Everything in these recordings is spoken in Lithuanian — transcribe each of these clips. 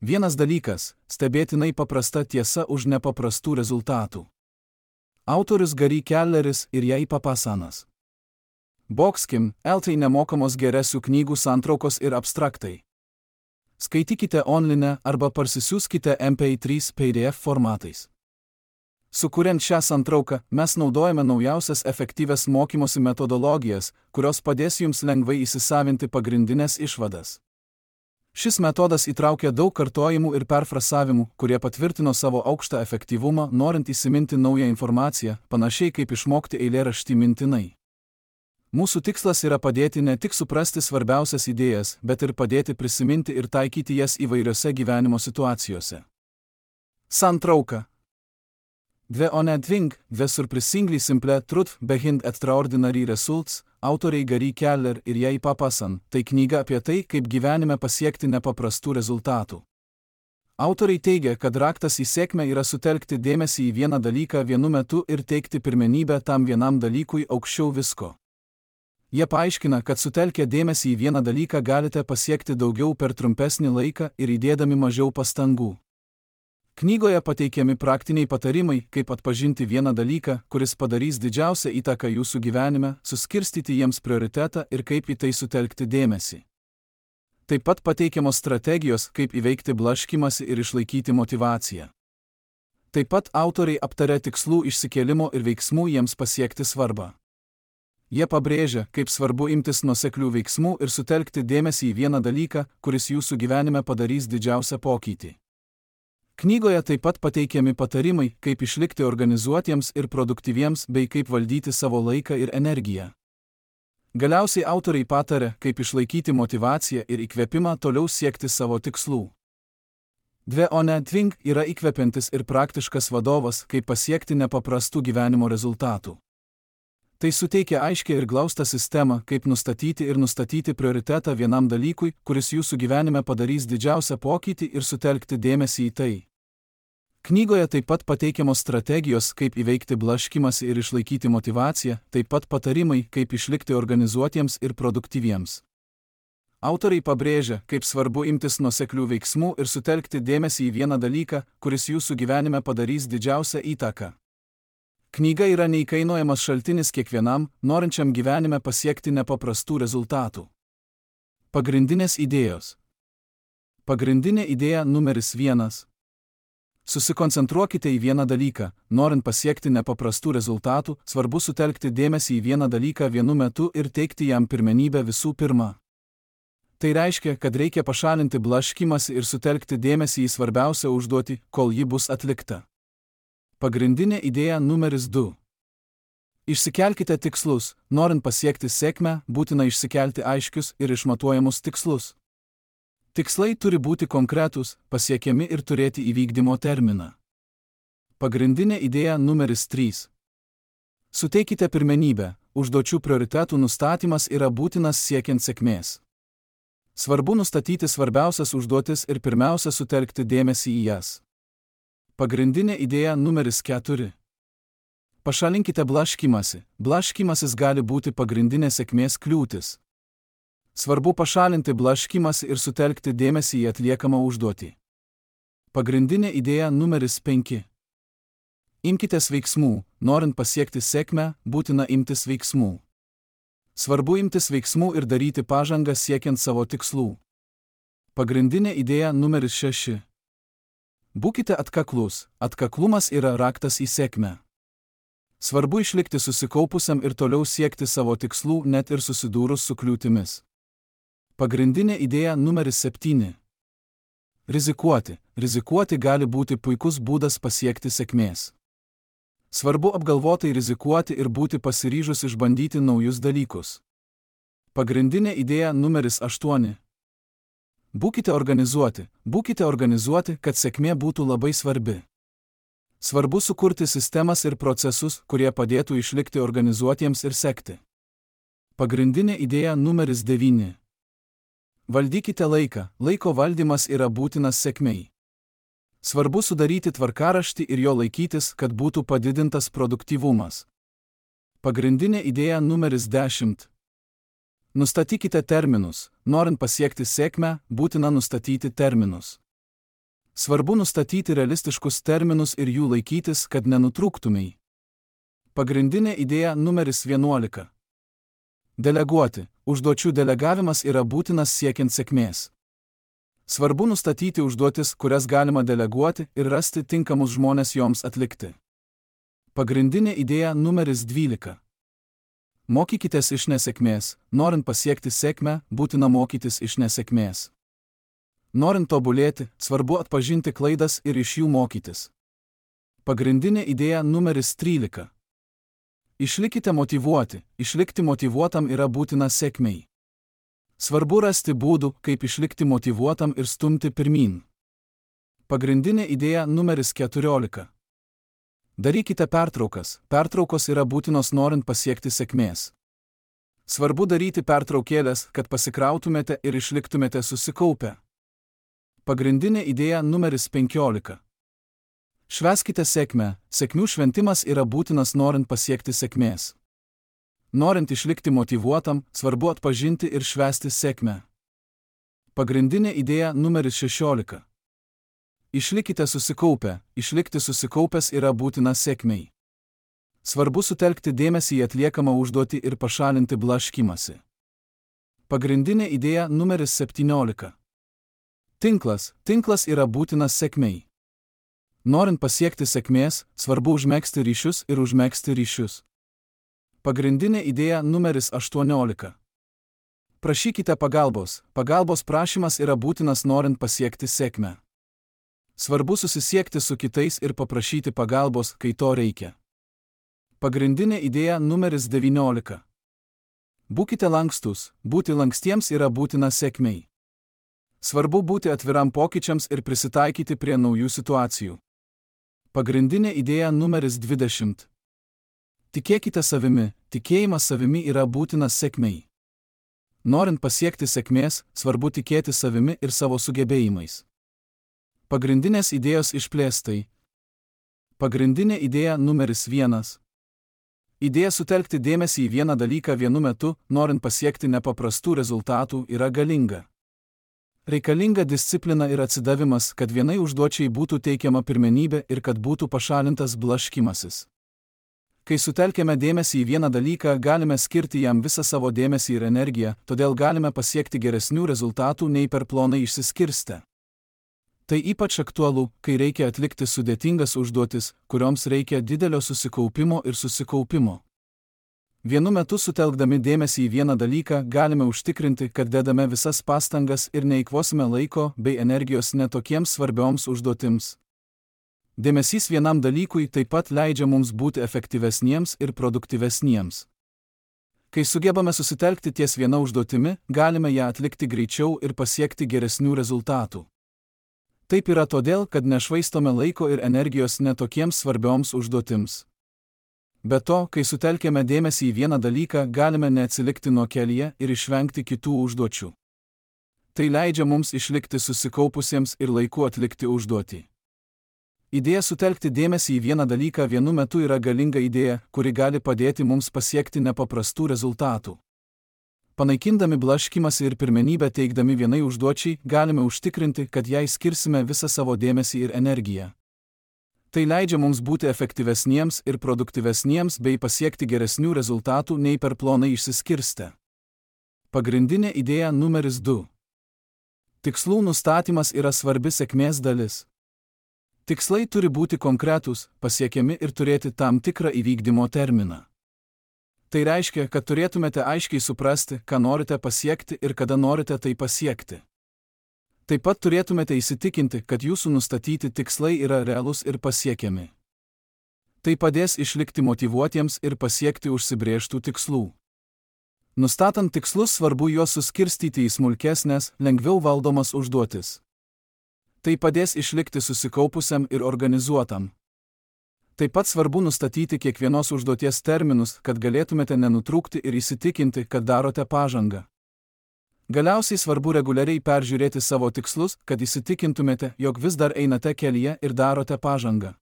Vienas dalykas – stebėtinai paprasta tiesa už nepaprastų rezultatų. Autorius Gary Kelleris ir Jai Papasanas. Boxkim, LT nemokamos geresių knygų santraukos ir abstraktai. Skaitykite online arba parsisiųskite MP3 PDF formatais. Sukuriant šią santrauką, mes naudojame naujausias efektyvias mokymosi metodologijas, kurios padės jums lengvai įsisavinti pagrindinės išvadas. Šis metodas įtraukia daug kartojimų ir perfrasavimų, kurie patvirtino savo aukštą efektyvumą, norint įsiminti naują informaciją, panašiai kaip išmokti eilėraštį mintinai. Mūsų tikslas yra padėti ne tik suprasti svarbiausias idėjas, bet ir padėti prisiminti ir taikyti jas įvairiose gyvenimo situacijose. Santrauka. The Unending, The Surprisingly Simple Truth Behind Extraordinary Results, autoriai Gary Keller ir Jai Papasan, tai knyga apie tai, kaip gyvenime pasiekti nepaprastų rezultatų. Autoriai teigia, kad raktas į sėkmę yra sutelkti dėmesį į vieną dalyką vienu metu ir teikti pirmenybę tam vienam dalykui aukščiau visko. Jie paaiškina, kad sutelkę dėmesį į vieną dalyką galite pasiekti daugiau per trumpesnį laiką ir įdėdami mažiau pastangų. Knygoje pateikiami praktiniai patarimai, kaip atpažinti vieną dalyką, kuris padarys didžiausią įtaką jūsų gyvenime, suskirstyti jiems prioritetą ir kaip į tai sutelkti dėmesį. Taip pat pateikiamos strategijos, kaip įveikti blaškymąsi ir išlaikyti motyvaciją. Taip pat autoriai aptaria tikslų išsikėlimo ir veiksmų jiems pasiekti svarbą. Jie pabrėžia, kaip svarbu imtis nuoseklių veiksmų ir sutelkti dėmesį į vieną dalyką, kuris jūsų gyvenime padarys didžiausią pokytį. Knygoje taip pat pateikiami patarimai, kaip išlikti organizuotiems ir produktyviems bei kaip valdyti savo laiką ir energiją. Galiausiai autoriai pataria, kaip išlaikyti motyvaciją ir įkvėpimą toliau siekti savo tikslų. The Unending yra įkvepiantis ir praktiškas vadovas, kaip pasiekti nepaprastų gyvenimo rezultatų. Tai suteikia aiškią ir glaustą sistemą, kaip nustatyti prioritetą vienam dalykui, kuris jūsų gyvenime padarys didžiausią pokytį ir sutelkti dėmesį į tai. Knygoje taip pat pateikiamos strategijos, kaip įveikti blaškymąsi ir išlaikyti motyvaciją, taip pat patarimai, kaip išlikti organizuotiems ir produktyviems. Autoriai pabrėžia, kaip svarbu imtis nuoseklių veiksmų ir sutelkti dėmesį į vieną dalyką, kuris jūsų gyvenime padarys didžiausią įtaką. Knyga yra neįkainojamas šaltinis kiekvienam, norinčiam gyvenime pasiekti nepaprastų rezultatų. Pagrindinės idėjos. Pagrindinė idėja numeris 1. Susikoncentruokite į vieną dalyką. Norint pasiekti nepaprastų rezultatų, svarbu sutelkti dėmesį į vieną dalyką vienu metu ir teikti jam pirmenybę visų pirma. Tai reiškia, kad reikia pašalinti blaškymąsi ir sutelkti dėmesį į svarbiausią užduotį, kol ji bus atlikta. Pagrindinė idėja numeris 2. Išsikelkite tikslus. Norint pasiekti sėkmę, būtina išsikelti aiškius ir išmatuojamus tikslus. Tikslai turi būti konkretūs, pasiekiami ir turėti įvykdymo terminą. Pagrindinė idėja numeris 3. Suteikite pirmenybę. Užduočių prioritetų nustatymas yra būtinas siekiant sėkmės. Svarbu nustatyti svarbiausias užduotis ir pirmiausia sutelkti dėmesį į jas. Pagrindinė idėja numeris 4. Pašalinkite blaškymąsi. Blaškymasis gali būti pagrindinė sėkmės kliūtis. Svarbu pašalinti blaškymąsi ir sutelkti dėmesį į atliekamą užduotį. Pagrindinė idėja numeris 5. Imkitės veiksmų. Norint pasiekti sėkmę, būtina imtis veiksmų. Svarbu imtis veiksmų ir daryti pažangą siekiant savo tikslų. Pagrindinė idėja numeris 6. Būkite atkaklus. Atkaklumas yra raktas į sėkmę. Svarbu išlikti susikaupusiam ir toliau siekti savo tikslų net ir susidūrus su kliūtimis. Pagrindinė idėja numeris 7. Rizikuoti. Rizikuoti gali būti puikus būdas pasiekti sėkmės. Svarbu apgalvotai rizikuoti ir būti pasiryžus išbandyti naujus dalykus. Pagrindinė idėja numeris 8. Būkite organizuoti. Būkite organizuoti, kad sėkmė būtų labai svarbi. Svarbu sukurti sistemas ir procesus, kurie padėtų išlikti organizuotiems ir sekti. Pagrindinė idėja numeris 9. Valdykite laiką. Laiko valdymas yra būtinas sėkmei. Svarbu sudaryti tvarkaraštį ir jo laikytis, kad būtų padidintas produktyvumas. Pagrindinė idėja numeris 10. Nustatykite terminus. Norint pasiekti sėkmę, būtina nustatyti terminus. Svarbu nustatyti realistiškus terminus ir jų laikytis, kad nenutrūktumei. Pagrindinė idėja numeris 11. Deleguoti. Užduočių delegavimas yra būtinas siekiant sėkmės. Svarbu nustatyti užduotis, kurias galima deleguoti ir rasti tinkamus žmones joms atlikti. Pagrindinė idėja numeris 12. Mokykitės iš nesėkmės. Norint pasiekti sėkmę, būtina mokytis iš nesėkmės. Norint tobulėti, svarbu atpažinti klaidas ir iš jų mokytis. Pagrindinė idėja numeris 13. Išlikite motyvuoti. Išlikti motyvuotam yra būtina sėkmei. Svarbu rasti būdų, kaip išlikti motyvuotam ir stumti pirmyn. Pagrindinė idėja numeris 14. Darykite pertraukas. Pertraukos yra būtinos norint pasiekti sėkmės. Svarbu daryti pertraukėlės, kad pasikrautumėte ir išliktumėte susikaupę. Pagrindinė idėja numeris 15. Švęskite sėkmę. Sėkmių šventimas yra būtinas norint pasiekti sėkmės. Norint išlikti motyvuotam, svarbu atpažinti ir švęsti sėkmę. Pagrindinė idėja numeris 16. Išlikite susikaupę. Išlikti susikaupęs yra būtina sėkmei. Svarbu sutelkti dėmesį į atliekamą užduotį ir pašalinti blaškymąsi. Pagrindinė idėja numeris 17. Tinklas. Tinklas yra būtinas sėkmei. Norint pasiekti sėkmės, svarbu užmegzti ryšius ir užmegzti ryšius. Pagrindinė idėja numeris 18. Prašykite pagalbos. Pagalbos prašymas yra būtinas norint pasiekti sėkmę. Svarbu susisiekti su kitais ir paprašyti pagalbos, kai to reikia. Pagrindinė idėja numeris 19. Būkite lankstus. Būti lankstiems yra būtina sėkmei. Svarbu būti atviram pokyčiams ir prisitaikyti prie naujų situacijų. Pagrindinė idėja numeris 20. Tikėkite savimi. Tikėjimas savimi yra būtinas sėkmei. Norint pasiekti sėkmės, svarbu tikėti savimi ir savo sugebėjimais. Pagrindinės idėjos išplėstai. Pagrindinė idėja numeris 1. Idėja sutelkti dėmesį į vieną dalyką vienu metu, norint pasiekti nepaprastų rezultatų, yra galinga. Reikalinga disciplina ir atsidavimas, kad vienai užduočiai būtų teikiama pirmenybė ir kad būtų pašalintas blaškymasis. Kai sutelkiame dėmesį į vieną dalyką, galime skirti jam visą savo dėmesį ir energiją, todėl galime pasiekti geresnių rezultatų nei per plonai išsiskirstę. Tai ypač aktualu, kai reikia atlikti sudėtingas užduotis, kurioms reikia didelio susikaupimo ir susikaupimo. Vienu metu sutelkdami dėmesį į vieną dalyką galime užtikrinti, kad dedame visas pastangas ir neeikvosime laiko bei energijos netokiems svarbioms užduotims. Dėmesys vienam dalykui taip pat leidžia mums būti efektyvesniems ir produktyvesniems. Kai sugebame susitelkti ties viena užduotimi, galime ją atlikti greičiau ir pasiekti geresnių rezultatų. Taip yra todėl, kad nešvaistome laiko ir energijos netokiems svarbioms užduotims. Be to, kai sutelkėme dėmesį į vieną dalyką, galime neatsilikti nuo kelyje ir išvengti kitų užduočių. Tai leidžia mums išlikti susikaupusiems ir laiku atlikti užduotį. Idėja sutelkti dėmesį į vieną dalyką vienu metu yra galinga idėja, kuri gali padėti mums pasiekti nepaprastų rezultatų. Panaikindami blaškymąsi ir pirmenybę teikdami vienai užduočiai, galime užtikrinti, kad jai skirsime visą savo dėmesį ir energiją. Tai leidžia mums būti efektyvesniems ir produktyvesniems bei pasiekti geresnių rezultatų nei per plonai išsiskirstę. Pagrindinė idėja numeris 2. Tikslų nustatymas yra svarbi sėkmės dalis. Tikslai turi būti konkretūs, pasiekiami ir turėti tam tikrą įvykdymo terminą. Tai reiškia, kad turėtumėte aiškiai suprasti, ką norite pasiekti ir kada norite tai pasiekti. Taip pat turėtumėte įsitikinti, kad jūsų nustatyti tikslai yra realūs ir pasiekiami. Tai padės išlikti motyvuotiems ir pasiekti užsibrėžtų tikslų. Nustatant tikslus, svarbu juos suskirstyti į smulkesnės, lengviau valdomas užduotis. Tai padės išlikti susikaupusiam ir organizuotam. Taip pat svarbu nustatyti kiekvienos užduoties terminus, kad galėtumėte nenutrūkti ir įsitikinti, kad darote pažangą. Galiausiai svarbu reguliariai peržiūrėti savo tikslus, kad įsitikintumėte, jog vis dar einate kelyje ir darote pažangą.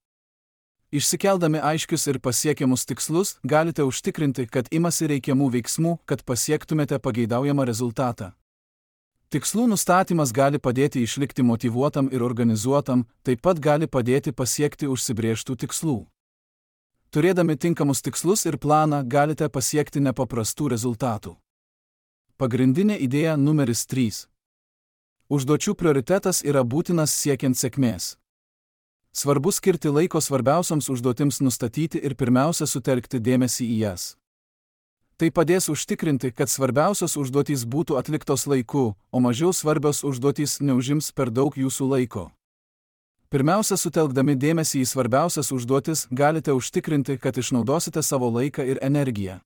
Išsikeldami aiškius ir pasiekiamus tikslus, galite užtikrinti, kad imasi reikiamų veiksmų, kad pasiektumėte pageidaujamą rezultatą. Tikslų nustatymas gali padėti išlikti motyvuotam ir organizuotam, taip pat gali padėti pasiekti užsibrėžtų tikslų. Turėdami tinkamus tikslus ir planą galite pasiekti nepaprastų rezultatų. Pagrindinė idėja numeris 3. Užduočių prioritetas yra būtinas siekiant sėkmės. Svarbu skirti laiko svarbiausiams užduotims nustatyti ir pirmiausia sutelkti dėmesį į jas. Tai padės užtikrinti, kad svarbiausios užduotys būtų atliktos laiku, o mažiau svarbios užduotys neužims per daug jūsų laiko. Pirmiausia, sutelkdami dėmesį į svarbiausias užduotis, galite užtikrinti, kad išnaudosite savo laiką ir energiją.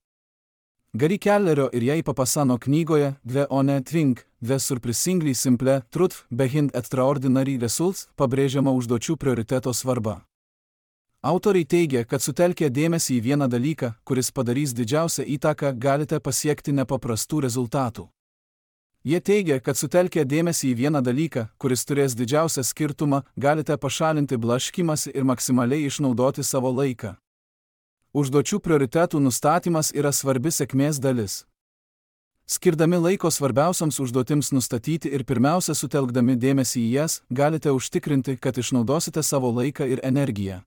Gary Kellerio ir Jay Papassano knygoje The One Thing, The Surprisingly Simple Truth Behind Extraordinary Results pabrėžiama užduočių prioriteto svarba. Autoriai teigia, kad sutelkę dėmesį į vieną dalyką, kuris padarys didžiausią įtaką, galite pasiekti nepaprastų rezultatų. Jie teigia, kad sutelkę dėmesį į vieną dalyką, kuris turės didžiausią skirtumą, galite pašalinti blaškymąsi ir maksimaliai išnaudoti savo laiką. Užduočių prioritetų nustatymas yra svarbi sėkmės dalis. Skirdami laiko svarbiausiams užduotims nustatyti ir pirmiausia sutelkdami dėmesį į jas, galite užtikrinti, kad išnaudosite savo laiką ir energiją.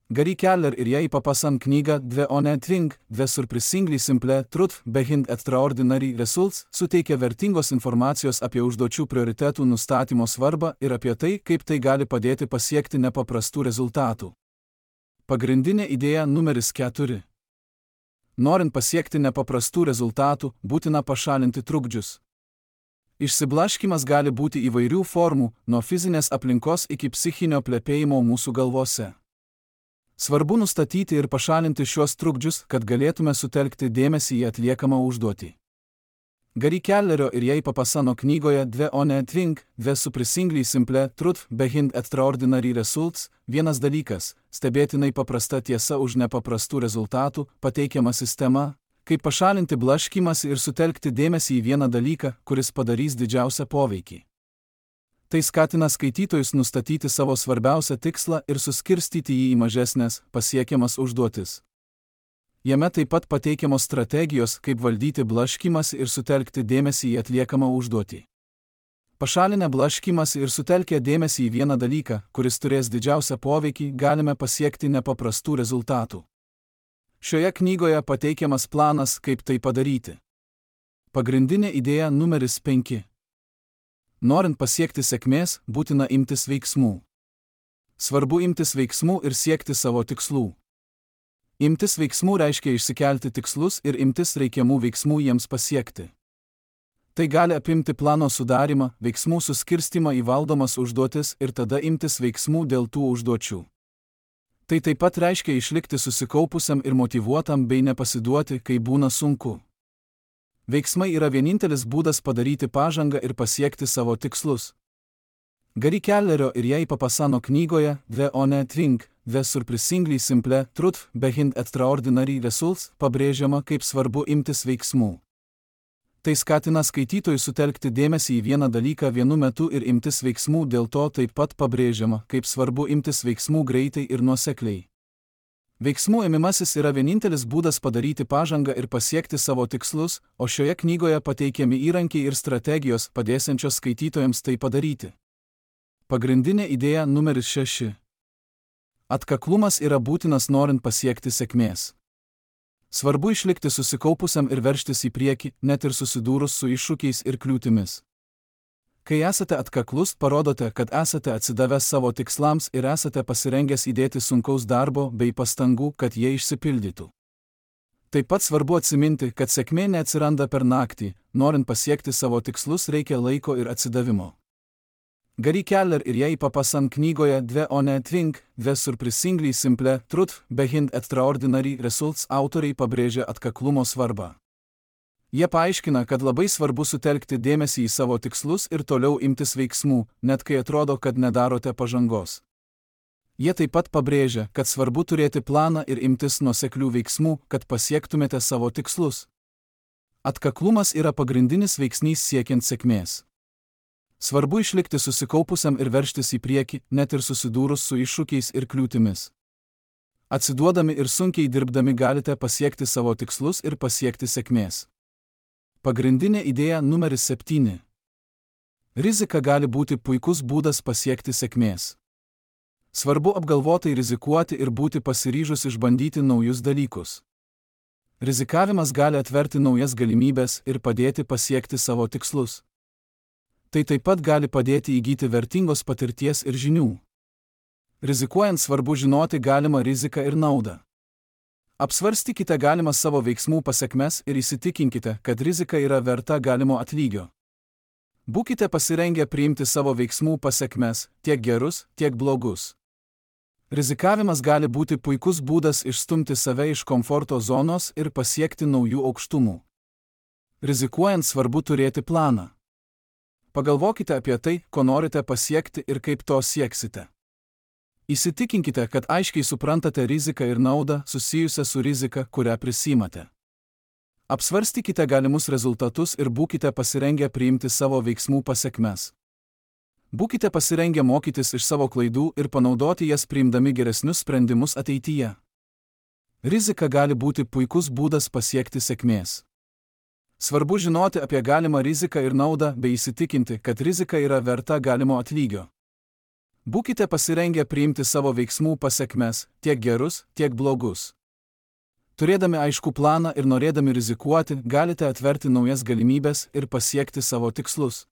Gary Keller ir Jay Papassan knyga The One Thing, The Surprisingly Simple Truth Behind Extraordinary Results suteikia vertingos informacijos apie užduočių prioritetų nustatymo svarbą ir apie tai, kaip tai gali padėti pasiekti nepaprastų rezultatų. Pagrindinė idėja numeris 4. Norint pasiekti nepaprastų rezultatų, būtina pašalinti trukdžius. Išsiblaškymas gali būti įvairių formų, nuo fizinės aplinkos iki psichinio plepėjimo mūsų galvose. Svarbu nustatyti ir pašalinti šiuos trukdžius, kad galėtume sutelkti dėmesį į atliekamą užduotį. Gary Kellerio ir Jay Papassano knygoje The One Thing, The Surprisingly Simple Truth Behind Extraordinary Results vienas dalykas – stebėtinai paprasta tiesa už nepaprastų rezultatų, pateikiama sistema, kaip pašalinti blaškymąsi ir sutelkti dėmesį į vieną dalyką, kuris padarys didžiausią poveikį. Tai skatina skaitytojus nustatyti savo svarbiausią tikslą ir suskirstyti jį į mažesnės, pasiekiamas užduotis. Jame taip pat pateikiamos strategijos, kaip valdyti blaškymąsi ir sutelkti dėmesį į atliekamą užduotį. Pašalinę blaškymąsi ir sutelkę dėmesį į vieną dalyką, kuris turės didžiausią poveikį, galime pasiekti nepaprastų rezultatų. Šioje knygoje pateikiamas planas, kaip tai padaryti. Pagrindinė idėja numeris 5. Norint pasiekti sėkmės, būtina imtis veiksmų. Svarbu imtis veiksmų ir siekti savo tikslų. Imtis veiksmų reiškia išsikelti tikslus ir imtis reikiamų veiksmų jiems pasiekti. Tai gali apimti plano sudarimą, veiksmų suskirstimą į valdomas užduotis ir tada imtis veiksmų dėl tų užduočių. Tai taip pat reiškia išlikti susikaupusiam ir motyvuotam bei nepasiduoti, kai būna sunku. Veiksmai yra vienintelis būdas padaryti pažangą ir pasiekti savo tikslus. Gary Kellerio ir Jay Papassano knygoje The One Thing, The Surprisingly Simple Truth Behind Extraordinary Results pabrėžiama, kaip svarbu imtis veiksmų. Tai skatina skaitytojus sutelkti dėmesį į vieną dalyką vienu metu ir imtis veiksmų, dėl to taip pat pabrėžiama, kaip svarbu imtis veiksmų greitai ir nuosekliai. Veiksmų ėmimasis yra vienintelis būdas padaryti pažangą ir pasiekti savo tikslus, o šioje knygoje pateikiami įrankiai ir strategijos padėsiančios skaitytojams tai padaryti. Pagrindinė idėja numeris 6. Atkaklumas yra būtinas norint pasiekti sėkmės. Svarbu išlikti susikaupusiam ir veržtis į priekį, net ir susidūrus su iššūkiais ir kliūtimis. Kai esate atkaklus, parodote, kad esate atsidavęs savo tikslams ir esate pasirengęs įdėti sunkaus darbo bei pastangų, kad jie išsipildytų. Taip pat svarbu atsiminti, kad sėkmė neatsiranda per naktį, norint pasiekti savo tikslus reikia laiko ir atsidavimo. Gary Keller ir Jay Papassan knygoje The One Thing, The Surprisingly Simple Truth Behind Extraordinary Results autoriai pabrėžia atkaklumo svarbą. Jie paaiškina, kad labai svarbu sutelkti dėmesį į savo tikslus ir toliau imtis veiksmų, net kai atrodo, kad nedarote pažangos. Jie taip pat pabrėžia, kad svarbu turėti planą ir imtis nuoseklių veiksmų, kad pasiektumėte savo tikslus. Atkaklumas yra pagrindinis veiksnys siekiant sėkmės. Svarbu išlikti susikaupusiam ir veržtis į priekį, net ir susidūrus su iššūkiais ir kliūtimis. Atsiduodami ir sunkiai dirbdami galite pasiekti savo tikslus ir pasiekti sėkmės. Pagrindinė idėja numeris 7. Rizika gali būti puikus būdas pasiekti sėkmės. Svarbu apgalvotai rizikuoti ir būti pasiryžus išbandyti naujus dalykus. Rizikavimas gali atverti naujas galimybės ir padėti pasiekti savo tikslus. Tai taip pat gali padėti įgyti vertingos patirties ir žinių. Rizikuojant svarbu žinoti galimą riziką ir naudą. Apsvarstykite galimas savo veiksmų pasekmes ir įsitikinkite, kad rizika yra verta galimo atlygio. Būkite pasirengę priimti savo veiksmų pasekmes, tiek gerus, tiek blogus. Rizikavimas gali būti puikus būdas išstumti save iš komforto zonos ir pasiekti naujų aukštumų. Rizikuojant svarbu turėti planą. Pagalvokite apie tai, ko norite pasiekti ir kaip to sieksite. Įsitikinkite, kad aiškiai suprantate riziką ir naudą susijusią su rizika, kurią prisimate. Apsvarstykite galimus rezultatus ir būkite pasirengę priimti savo veiksmų pasekmes. Būkite pasirengę mokytis iš savo klaidų ir panaudoti jas priimdami geresnius sprendimus ateityje. Rizika gali būti puikus būdas pasiekti sėkmės. Svarbu žinoti apie galimą riziką ir naudą bei įsitikinti, kad rizika yra verta galimo atlygio. Būkite pasirengę priimti savo veiksmų pasekmes, tiek gerus, tiek blogus. Turėdami aiškų planą ir norėdami rizikuoti, galite atverti naujas galimybės ir pasiekti savo tikslus.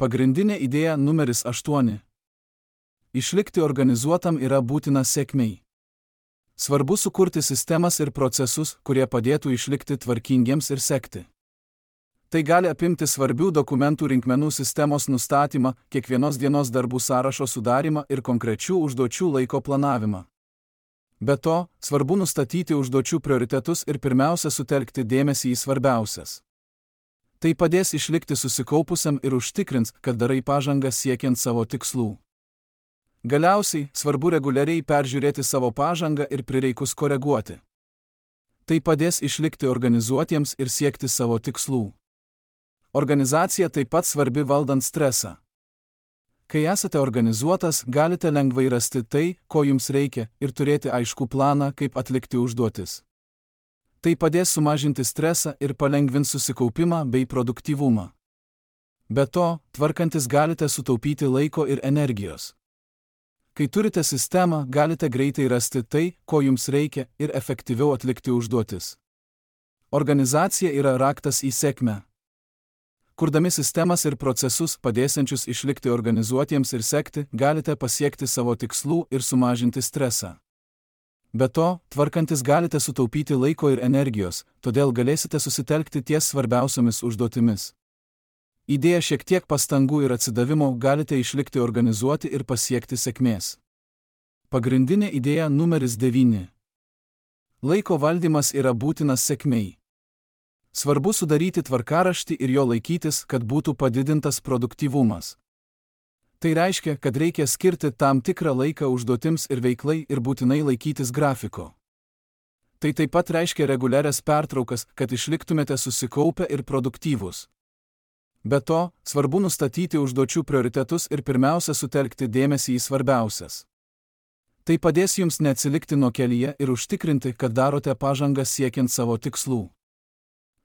Pagrindinė idėja numeris 8. Išlikti organizuotam yra būtina sėkmei. Svarbu sukurti sistemas ir procesus, kurie padėtų išlikti tvarkingiems ir sekti. Tai gali apimti svarbių dokumentų rinkmenų sistemos nustatymą, kiekvienos dienos darbų sąrašo sudarimą ir konkrečių užduočių laiko planavimą. Be to, svarbu nustatyti užduočių prioritetus ir pirmiausia sutelkti dėmesį į svarbiausias. Tai padės išlikti susikaupusiam ir užtikrins, kad darai pažangą siekiant savo tikslų. Galiausiai, svarbu reguliariai peržiūrėti savo pažangą ir prireikus koreguoti. Tai padės išlikti organizuotiems ir siekti savo tikslų. Organizacija taip pat svarbi valdant stresą. Kai esate organizuotas, galite lengvai rasti tai, ko jums reikia, ir turėti aiškų planą, kaip atlikti užduotis. Tai padės sumažinti stresą ir palengvins susikaupimą bei produktyvumą. Be to, tvarkantis galite sutaupyti laiko ir energijos. Kai turite sistemą, galite greitai rasti tai, ko jums reikia, ir efektyviau atlikti užduotis. Organizacija yra raktas į sėkmę. Kurdami sistemas ir procesus padėsiančius išlikti organizuotiems ir sekti, galite pasiekti savo tikslų ir sumažinti stresą. Be to, tvarkantis galite sutaupyti laiko ir energijos, todėl galėsite susitelkti ties svarbiausiomis užduotimis. Įdėję šiek tiek pastangų ir atsidavimo galite išlikti organizuoti ir pasiekti sėkmės. Pagrindinė idėja numeris 9. Laiko valdymas yra būtinas sėkmei. Svarbu sudaryti tvarkaraštį ir jo laikytis, kad būtų padidintas produktyvumas. Tai reiškia, kad reikia skirti tam tikrą laiką užduotims ir veiklai ir būtinai laikytis grafiko. Tai taip pat reiškia reguliarias pertraukas, kad išliktumėte susikaupę ir produktyvūs. Be to, svarbu nustatyti užduočių prioritetus ir pirmiausia sutelkti dėmesį į svarbiausias. Tai padės jums neatsilikti nuo kelyje ir užtikrinti, kad darote pažangą siekiant savo tikslų.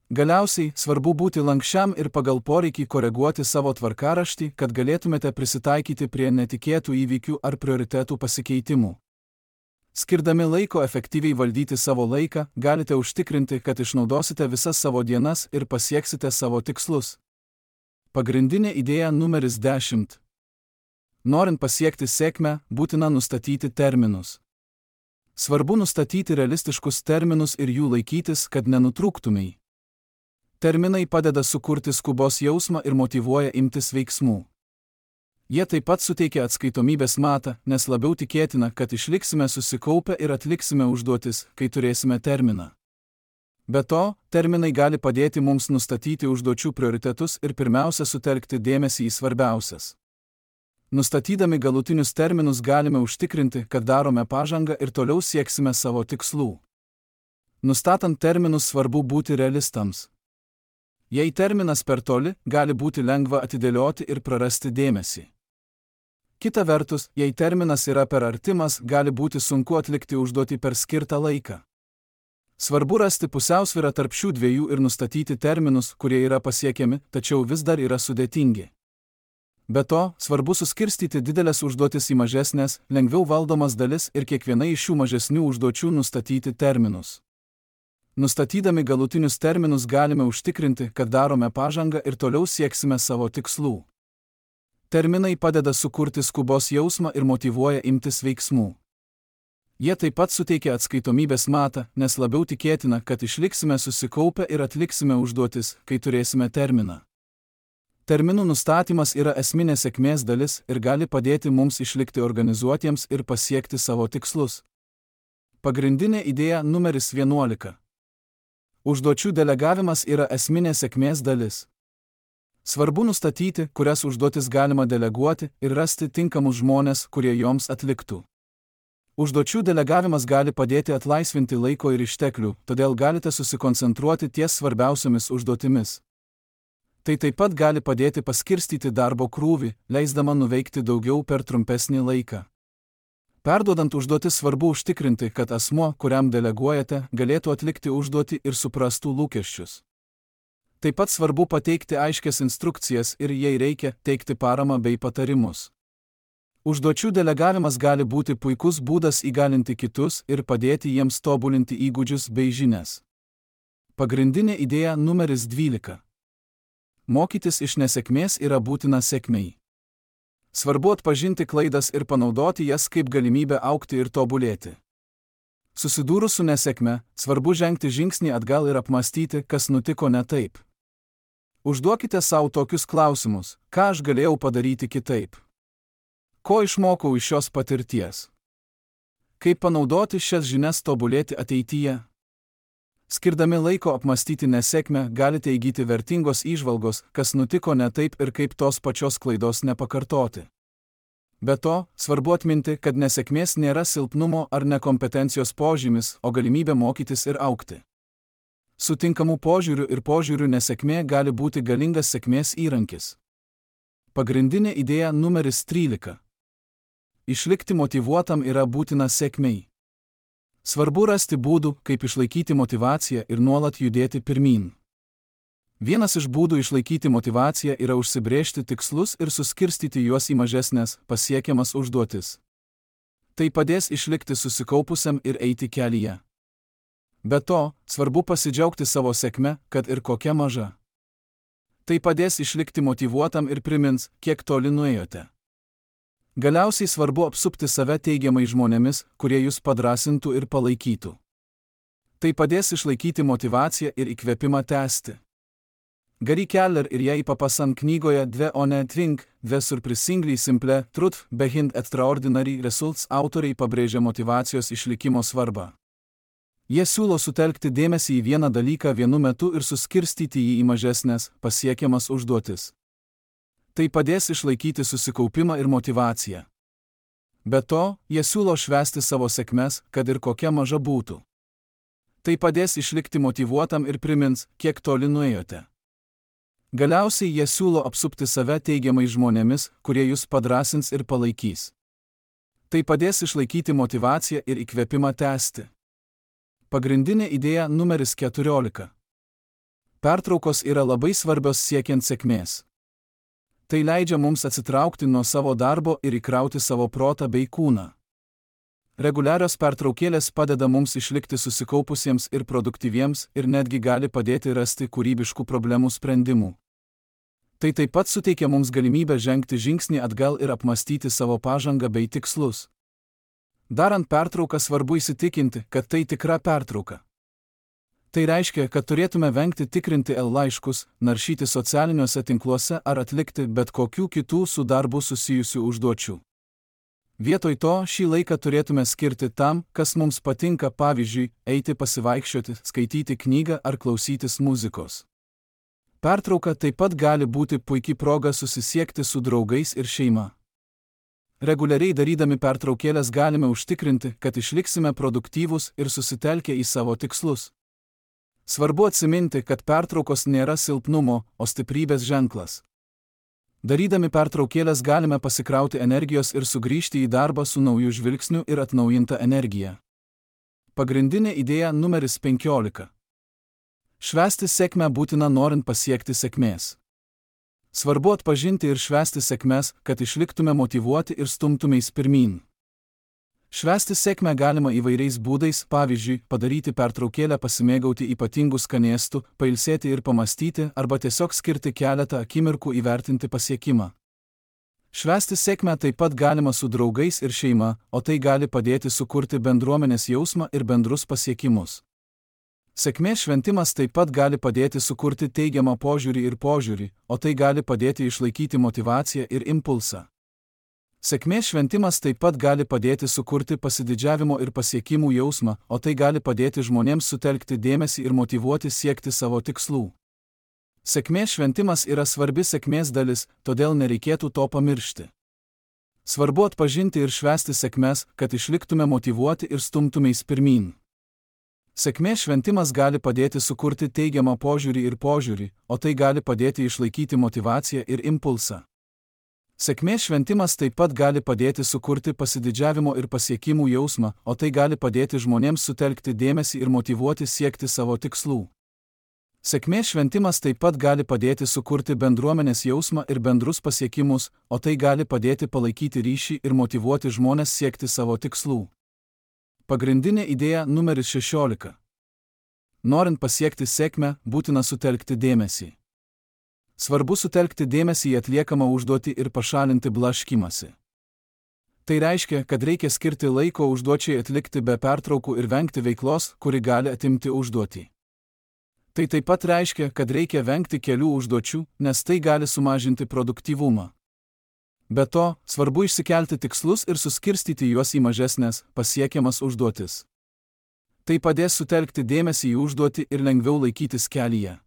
Galiausiai, svarbu būti lankščiam ir pagal poreikį koreguoti savo tvarkaraštį, kad galėtumėte prisitaikyti prie netikėtų įvykių ar prioritetų pasikeitimų. Skirdami laiko efektyviai valdyti savo laiką, galite užtikrinti, kad išnaudosite visas savo dienas ir pasieksite savo tikslus. Pagrindinė idėja numeris 10. Norint pasiekti sėkmę, būtina nustatyti terminus. Svarbu nustatyti realistiškus terminus ir jų laikytis, kad nenutrūktumei. Terminai padeda sukurti skubos jausmą ir motyvuoja imtis veiksmų. Jie taip pat suteikia atskaitomybės matą, nes labiau tikėtina, kad išliksime susikaupę ir atliksime užduotis, kai turėsime terminą. Be to, terminai gali padėti mums nustatyti užduočių prioritetus ir pirmiausia sutelkti dėmesį į svarbiausias. Nustatydami galutinius terminus galime užtikrinti, kad darome pažangą ir toliau sieksime savo tikslų. Nustatant terminus svarbu būti realistams. Jei terminas per toli, gali būti lengva atidėlioti ir prarasti dėmesį. Kita vertus, jei terminas yra per artimas, gali būti sunku atlikti užduotį per skirtą laiką. Svarbu rasti pusiausvyrą tarp šių dviejų ir nustatyti terminus, kurie yra pasiekiami, tačiau vis dar yra sudėtingi. Be to, svarbu suskirstyti didelės užduotis į mažesnės, lengviau valdomas dalis ir kiekvienai iš šių mažesnių užduočių nustatyti terminus. Nustatydami galutinius terminus galime užtikrinti, kad darome pažangą ir toliau sieksime savo tikslų. Terminai padeda sukurti skubos jausmą ir motyvuoja imtis veiksmų. Jie taip pat suteikia atskaitomybės matą, nes labiau tikėtina, kad išliksime susikaupę ir atliksime užduotis, kai turėsime terminą. Terminų nustatymas yra esminė sėkmės dalis ir gali padėti mums išlikti organizuotiems ir pasiekti savo tikslus. Pagrindinė idėja numeris 11. Užduočių delegavimas yra esminė sėkmės dalis. Svarbu nustatyti, kurias užduotis galima deleguoti ir rasti tinkamus žmones, kurie joms atliktų. Užduočių delegavimas gali padėti atlaisvinti laiko ir išteklių, todėl galite susikoncentruoti ties svarbiausiomis užduotimis. Tai taip pat gali padėti paskirstyti darbo krūvį, leisdama nuveikti daugiau per trumpesnį laiką. Perduodant užduotis svarbu užtikrinti, kad asmuo, kuriam deleguojate, galėtų atlikti užduotį ir suprastų lūkesčius. Taip pat svarbu pateikti aiškias instrukcijas ir, jei reikia, teikti paramą bei patarimus. Užduočių delegavimas gali būti puikus būdas įgalinti kitus ir padėti jiems tobulinti įgūdžius bei žinias. Pagrindinė idėja numeris 12. Mokytis iš nesėkmės yra būtina sėkmei. Svarbu atpažinti klaidas ir panaudoti jas kaip galimybę augti ir tobulėti. Susidūrus su nesėkme, svarbu žengti žingsnį atgal ir apmąstyti, kas nutiko ne taip. Užduokite savo tokius klausimus: ką aš galėjau padaryti kitaip? Ko išmokau iš šios patirties? Kaip panaudoti šias žinias tobulėti ateityje? Skirdami laiko apmąstyti nesėkmę, galite įgyti vertingos įžvalgos, kas nutiko ne taip ir kaip tos pačios klaidos nepakartoti. Be to, svarbu atminti, kad nesėkmės nėra silpnumo ar nekompetencijos požymis, o galimybė mokytis ir augti. Sutinkamų požiūrių ir požiūrių nesėkmė gali būti galingas sėkmės įrankis. Pagrindinė idėja numeris 13. Išlikti motyvuotam yra būtina sėkmei. Svarbu rasti būdų, kaip išlaikyti motyvaciją ir nuolat judėti pirmyn. Vienas iš būdų išlaikyti motyvaciją yra užsibrėžti tikslus ir suskirstyti juos į mažesnės, pasiekiamas užduotis. Tai padės išlikti susikaupusiam ir eiti kelyje. Be to, svarbu pasidžiaugti savo sėkme, kad ir kokia maža. Tai padės išlikti motyvuotam ir primins, kiek toli nuėjote. Galiausiai svarbu apsupti save teigiamai žmonėmis, kurie jūs padrąsintų ir palaikytų. Tai padės išlaikyti motyvaciją ir įkvėpimą tęsti. Gary Keller ir Jay Papasan knygoje Dve one Think, Dve surprisingly simple truth behind extraordinary results autoriai pabrėžia motyvacijos išlikimo svarbą. Jie siūlo sutelkti dėmesį į vieną dalyką vienu metu ir suskirstyti jį į mažesnės, pasiekiamas užduotis. Tai padės išlaikyti susikaupimą ir motyvaciją. Be to, jie siūlo švęsti savo sėkmes, kad ir kokia maža būtų. Tai padės išlikti motyvuotam ir primins, kiek toli nuėjote. Galiausiai jie siūlo apsupti save teigiamais žmonėmis, kurie jūs padrąsins ir palaikys. Tai padės išlaikyti motyvaciją ir įkvėpimą tęsti. Pagrindinė idėja numeris 14. Pertraukos yra labai svarbios siekiant sėkmės. Tai leidžia mums atsitraukti nuo savo darbo ir įkrauti savo protą bei kūną. Reguliarios pertraukėlės padeda mums išlikti susikaupusiems ir produktyviems ir netgi gali padėti rasti kūrybiškų problemų sprendimų. Tai taip pat suteikia mums galimybę žengti žingsnį atgal ir apmąstyti savo pažangą bei tikslus. Darant pertrauką svarbu įsitikinti, kad tai tikra pertrauka. Tai reiškia, kad turėtume vengti tikrinti laiškus, naršyti socialiniuose tinkluose ar atlikti bet kokių kitų su darbu susijusių užduočių. Vietoj to šį laiką turėtume skirti tam, kas mums patinka, pavyzdžiui, eiti pasivaikščioti, skaityti knygą ar klausytis muzikos. Pertrauka taip pat gali būti puikia proga susisiekti su draugais ir šeima. Reguliariai darydami pertraukėlės galime užtikrinti, kad išliksime produktyvūs ir susitelkę į savo tikslus. Svarbu atsiminti, kad pertraukos nėra silpnumo, o stiprybės ženklas. Darydami pertraukėlės galime pasikrauti energijos ir sugrįžti į darbą su nauju žvilgsniu ir atnaujinta energija. Pagrindinė idėja numeris 15. Švęsti sėkmę būtina norint pasiekti sėkmės. Svarbu atpažinti ir švęsti sėkmes, kad išliktume motyvuoti ir stumtumeis pirmyn. Švęsti sėkmę galima įvairiais būdais, pavyzdžiui, padaryti pertraukėlę pasimėgauti ypatingų skanėstų, pailsėti ir pamastyti, arba tiesiog skirti keletą akimirkų įvertinti pasiekimą. Švęsti sėkmę taip pat galima su draugais ir šeima, o tai gali padėti sukurti bendruomenės jausmą ir bendrus pasiekimus. Sėkmės šventimas taip pat gali padėti sukurti teigiamą požiūrį, o tai gali padėti išlaikyti motyvaciją ir impulsą. Sėkmės šventimas taip pat gali padėti sukurti pasididžiavimo ir pasiekimų jausmą, o tai gali padėti žmonėms sutelkti dėmesį ir motyvuoti siekti savo tikslų. Sėkmės šventimas yra svarbi sėkmės dalis, todėl nereikėtų to pamiršti. Svarbu atpažinti ir švęsti sėkmes, kad išliktume motyvuoti ir stumtumeis pirmyn. Sėkmės šventimas gali padėti sukurti teigiamą požiūrį, o tai gali padėti išlaikyti motyvaciją ir impulsą. Sėkmės šventimas taip pat gali padėti sukurti pasididžiavimo ir pasiekimų jausmą, o tai gali padėti žmonėms sutelkti dėmesį ir motyvuoti siekti savo tikslų. Sėkmės šventimas taip pat gali padėti sukurti bendruomenės jausmą ir bendrus pasiekimus, o tai gali padėti palaikyti ryšį ir motyvuoti žmones siekti savo tikslų. Pagrindinė idėja numeris 16. Norint pasiekti sėkmę, būtina sutelkti dėmesį. Svarbu sutelkti dėmesį į atliekamą užduotį ir pašalinti blaškymąsi. Tai reiškia, kad reikia skirti laiko užduočiai atlikti be pertraukų ir vengti veiklos, kuri gali atimti užduotį. Tai taip pat reiškia, kad reikia vengti kelių užduočių, nes tai gali sumažinti produktyvumą. Be to, svarbu išsikelti tikslus ir suskirstyti juos į mažesnės, pasiekiamas užduotis. Tai padės sutelkti dėmesį į užduotį ir lengviau laikytis kelyje.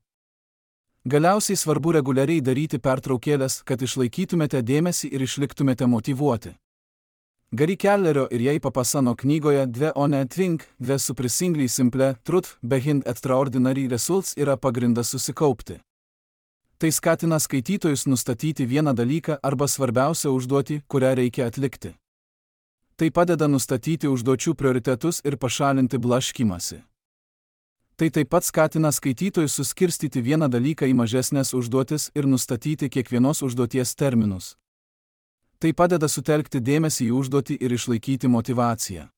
Galiausiai svarbu reguliariai daryti pertraukėlės, kad išlaikytumėte dėmesį ir išliktumėte motyvuoti. Gary Kellerio ir Jay Papasano knygoje Dve on a Twink, Dve surprisingly simple truth behind extraordinary results yra pagrindas susikaupti. Tai skatina skaitytojus nustatyti vieną dalyką arba svarbiausią užduotį, kurią reikia atlikti. Tai padeda nustatyti užduočių prioritetus ir pašalinti blaškymąsi. Tai taip pat skatina skaitytojus suskirstyti vieną dalyką į mažesnės užduotis ir nustatyti kiekvienos užduoties terminus. Tai padeda sutelkti dėmesį į užduotį ir išlaikyti motyvaciją.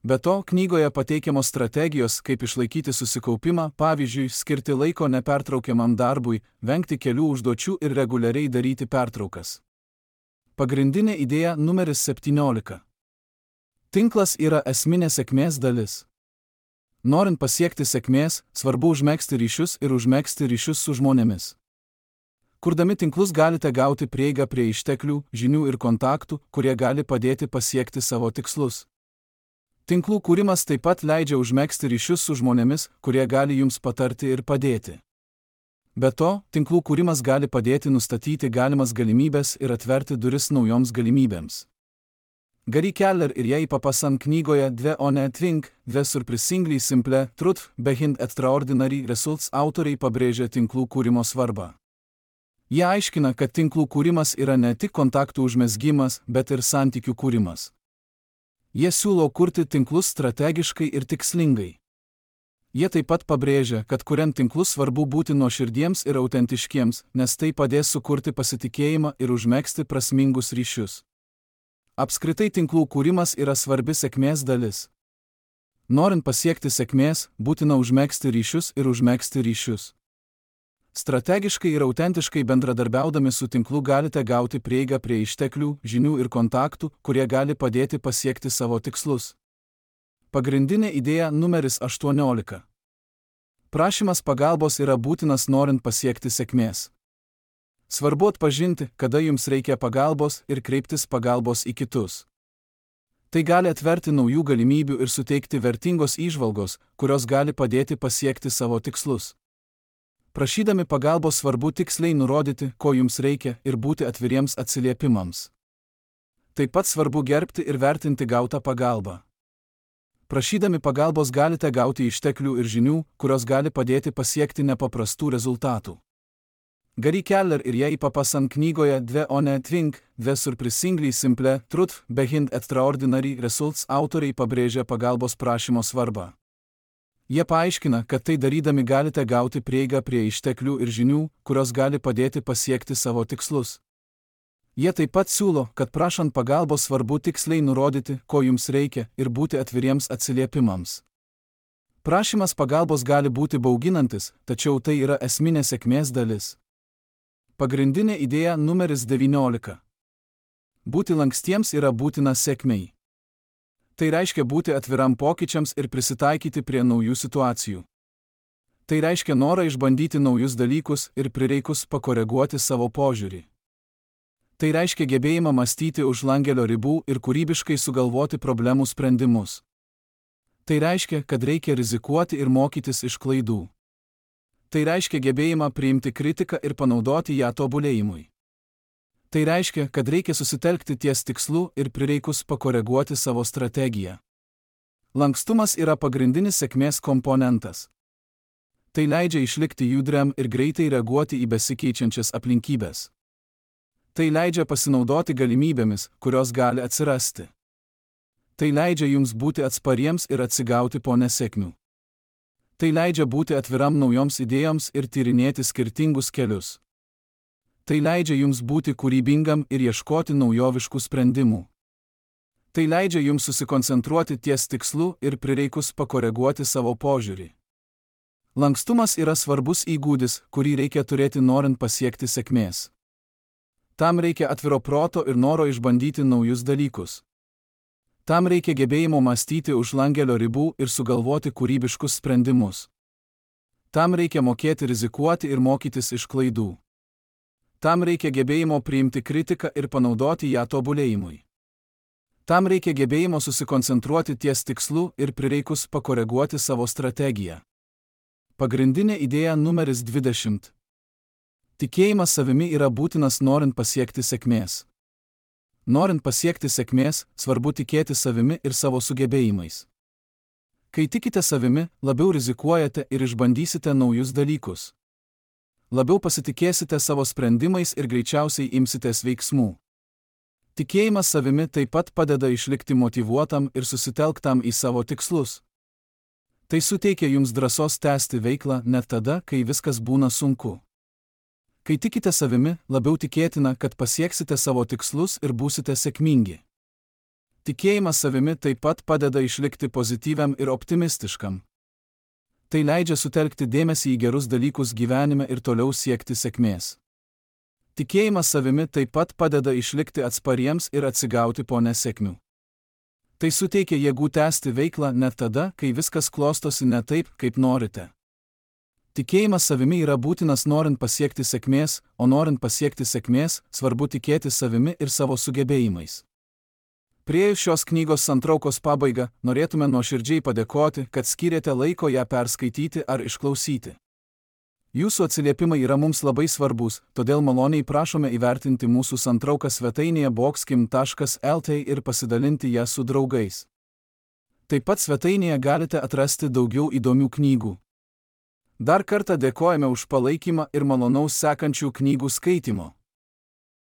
Be to, knygoje pateikiamos strategijos, kaip išlaikyti susikaupimą, pavyzdžiui, skirti laiko nepertraukiamam darbui, vengti kelių užduočių ir reguliariai daryti pertraukas. Pagrindinė idėja numeris 17. Tinklas yra esminė sėkmės dalis. Norint pasiekti sėkmės, svarbu užmegzti ryšius ir užmegzti ryšius su žmonėmis. Kurdami tinklus galite gauti prieigą prie išteklių, žinių ir kontaktų, kurie gali padėti pasiekti savo tikslus. Tinklų kūrimas taip pat leidžia užmegzti ryšius su žmonėmis, kurie gali jums patarti ir padėti. Be to, tinklų kūrimas gali padėti nustatyti galimas galimybes ir atverti duris naujoms galimybėms. Gary Keller ir Jay Papasan knygoje Dve on a Twink, Dve surprisingly simple truth behind extraordinary results autoriai pabrėžia tinklų kūrimo svarbą. Jie aiškina, kad tinklų kūrimas yra ne tik kontaktų užmezgimas, bet ir santykių kūrimas. Jie siūlo kurti tinklus strategiškai ir tikslingai. Jie taip pat pabrėžia, kad kuriant tinklus svarbu būti nuoširdiems ir autentiškiems, nes tai padės sukurti pasitikėjimą ir užmegzti prasmingus ryšius. Apskritai tinklų kūrimas yra svarbi sėkmės dalis. Norint pasiekti sėkmės, būtina užmegzti ryšius ir užmegzti ryšius. Strategiškai ir autentiškai bendradarbiaudami su tinklu galite gauti prieigą prie išteklių, žinių ir kontaktų, kurie gali padėti pasiekti savo tikslus. Pagrindinė idėja numeris 18. Prašymas pagalbos yra būtinas norint pasiekti sėkmės. Svarbu atpažinti, kada jums reikia pagalbos ir kreiptis pagalbos į kitus. Tai gali atverti naujų galimybių ir suteikti vertingos įžvalgos, kurios gali padėti pasiekti savo tikslus. Prašydami pagalbos svarbu tiksliai nurodyti, ko jums reikia ir būti atviriems atsiliepimams. Taip pat svarbu gerbti ir vertinti gautą pagalbą. Prašydami pagalbos galite gauti išteklių ir žinių, kurios gali padėti pasiekti nepaprastų rezultatų. Gary Keller ir Jay Papasan knygoje Dve on a Twink, Dve surprisingly simple truth behind extraordinary results autoriai pabrėžia pagalbos prašymo svarbą. Jie paaiškina, kad tai darydami galite gauti prieigą prie išteklių ir žinių, kurios gali padėti pasiekti savo tikslus. Jie taip pat siūlo, kad prašant pagalbos svarbu tiksliai nurodyti, ko jums reikia, ir būti atviriems atsiliepimams. Prašymas pagalbos gali būti bauginantis, tačiau tai yra esminė sėkmės dalis. Pagrindinė idėja numeris 19. Būti lankstiems yra būtina sėkmei. Tai reiškia būti atviram pokyčiams ir prisitaikyti prie naujų situacijų. Tai reiškia norą išbandyti naujus dalykus ir prireikus pakoreguoti savo požiūrį. Tai reiškia gebėjimą mąstyti už langelio ribų ir kūrybiškai sugalvoti problemų sprendimus. Tai reiškia, kad reikia rizikuoti ir mokytis iš klaidų. Tai reiškia gebėjimą priimti kritiką ir panaudoti ją tobulėjimui. Tai reiškia, kad reikia susitelkti ties tikslu ir prireikus pakoreguoti savo strategiją. Lankstumas yra pagrindinis sėkmės komponentas. Tai leidžia išlikti judriam ir greitai reaguoti į besikeičiančias aplinkybės. Tai leidžia pasinaudoti galimybėmis, kurios gali atsirasti. Tai leidžia jums būti atspariems ir atsigauti po nesėkmių. Tai leidžia būti atviram naujoms idėjoms ir tyrinėti skirtingus kelius. Tai leidžia jums būti kūrybingam ir ieškoti naujoviškų sprendimų. Tai leidžia jums susikoncentruoti ties tikslu ir prireikus pakoreguoti savo požiūrį. Lankstumas yra svarbus įgūdis, kurį reikia turėti norint pasiekti sėkmės. Tam reikia atviro proto ir noro išbandyti naujus dalykus. Tam reikia gebėjimo mąstyti už langelio ribų ir sugalvoti kūrybiškus sprendimus. Tam reikia mokėti rizikuoti ir mokytis iš klaidų. Tam reikia gebėjimo priimti kritiką ir panaudoti ją tobulėjimui. Tam reikia gebėjimo susikoncentruoti ties tikslu ir prireikus pakoreguoti savo strategiją. Pagrindinė idėja numeris 20. Tikėjimas savimi yra būtinas norint pasiekti sėkmės. Norint pasiekti sėkmės, svarbu tikėti savimi ir savo sugebėjimais. Kai tikite savimi, labiau rizikuojate ir išbandysite naujus dalykus. Labiau pasitikėsite savo sprendimais ir greičiausiai imsitės veiksmų. Tikėjimas savimi taip pat padeda išlikti motyvuotam ir susitelktam į savo tikslus. Tai suteikia jums drąsos tęsti veiklą net tada, kai viskas būna sunku. Kai tikite savimi, labiau tikėtina, kad pasieksite savo tikslus ir būsite sėkmingi. Tikėjimas savimi taip pat padeda išlikti pozityviam ir optimistiškam. Tai leidžia sutelkti dėmesį į gerus dalykus gyvenime ir toliau siekti sėkmės. Tikėjimas savimi taip pat padeda išlikti atspariems ir atsigauti po nesėkmių. Tai suteikia jėgų tęsti veiklą net tada, kai viskas klostosi ne taip, kaip norite. Tikėjimas savimi yra būtinas norint pasiekti sėkmės, o norint pasiekti sėkmės, svarbu tikėti savimi ir savo sugebėjimais. Priėjus šios knygos santraukos pabaigą, norėtume nuoširdžiai padėkoti, kad skyrėte laiko ją perskaityti ar išklausyti. Jūsų atsiliepimai yra mums labai svarbus, todėl maloniai prašome įvertinti mūsų santrauką svetainėje boxkim.lt ir pasidalinti ją su draugais. Taip pat svetainėje galite atrasti daugiau įdomių knygų. Dar kartą dėkojame už palaikymą ir malonaus sekančių knygų skaitimo.